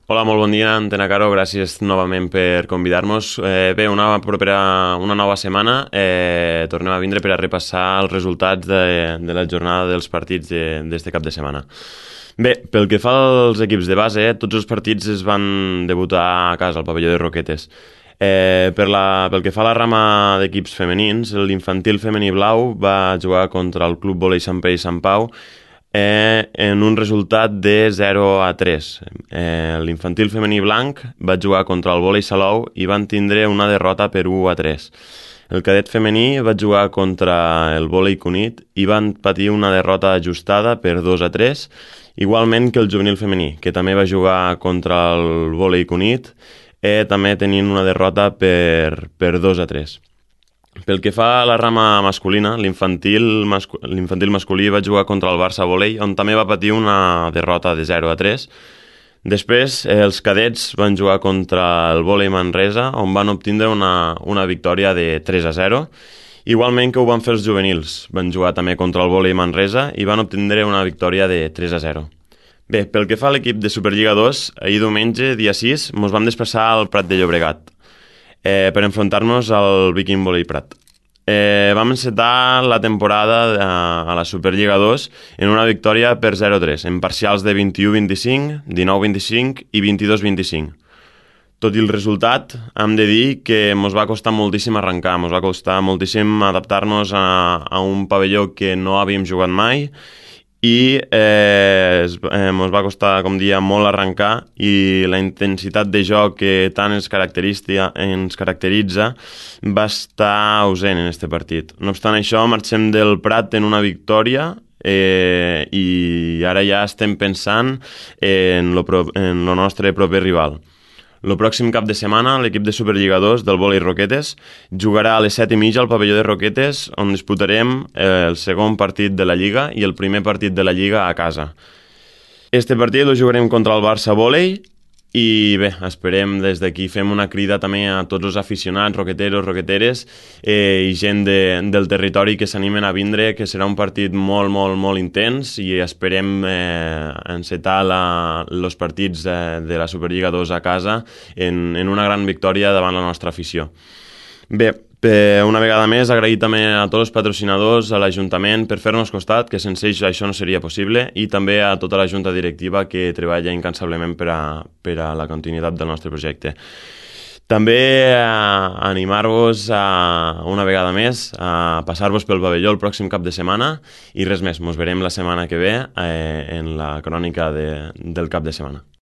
Hola, molt bon dia, Antena Caro, gràcies novament per convidar-nos. Bé, una nova setmana, tornem a vindre per a repassar els resultats de la jornada dels partits d'este cap de setmana. Bé, pel que fa als equips de base, tots els partits es van debutar a casa, al pavelló de Roquetes. Pel que fa a la rama d'equips femenins, l'infantil femení blau va jugar contra el Club Vòlei Sant Pere i Sant Pau, en un resultat de 0-3. L'infantil femení blanc va jugar contra el Vòlei Salou i van tindre una derrota per 1-3. El cadet femení va jugar contra el Vòlei Cunit i van patir una derrota ajustada per 2-3, igualment que el juvenil femení, que també va jugar contra el Vòlei Cunit, també tenint una derrota per 2-3. Pel que fa a la rama masculina, l'infantil masculí va jugar contra el Barça Volei, on també va patir una derrota de 0-3. Després, els cadets van jugar contra el Volei Manresa, on van obtindre una victòria de 3-0. Igualment que ho van fer els juvenils, van jugar també contra el Volei Manresa i van obtindre una victòria de 3-0. Bé, pel que fa a l'equip de Superliga 2, ahir diumenge, dia 6, ens vam desplaçar al Prat de Llobregat per enfrontar-nos al Viking Volei Prat. Vam encetar la temporada a la Superliga 2 en una victòria per 0-3, en parcials de 21-25, 19-25 i 22-25. Tot i el resultat, hem de dir que ens va costar moltíssim arrencar, ens va costar moltíssim adaptar-nos a un pavelló que no havíem jugat mai i ens va costar, com dia, molt arrencar, i la intensitat de joc que tant ens caracteritza va estar ausent en aquest partit. No obstant això, marxem del Prat en una victòria i ara ja estem pensant en el nostre proper rival. El pròxim cap de setmana, l'equip de Superliga 2 del Vòlei Roquetes jugarà a les 7:30 al pavelló de Roquetes, on disputarem el segon partit de la Lliga i el primer partit de la Lliga a casa. Este partit el jugarem contra el Barça Vòlei i bé, esperem des d'aquí, fem una crida també a tots els aficionats, roqueteros, roqueteres i gent del territori que s'animen a vindre, que serà un partit molt, molt, molt intens, i esperem encetar els partits de la Superliga 2 a casa en una gran victòria davant la nostra afició. Bé, una vegada més, agrair també a tots els patrocinadors, a l'Ajuntament, per fer-nos costat, que sense ells això no seria possible, i també a tota la Junta Directiva que treballa incansablement per a la continuïtat del nostre projecte. També animar-vos una vegada més a passar-vos pel pavelló el pròxim cap de setmana, i res més, ens veurem la setmana que ve en la crònica del cap de setmana.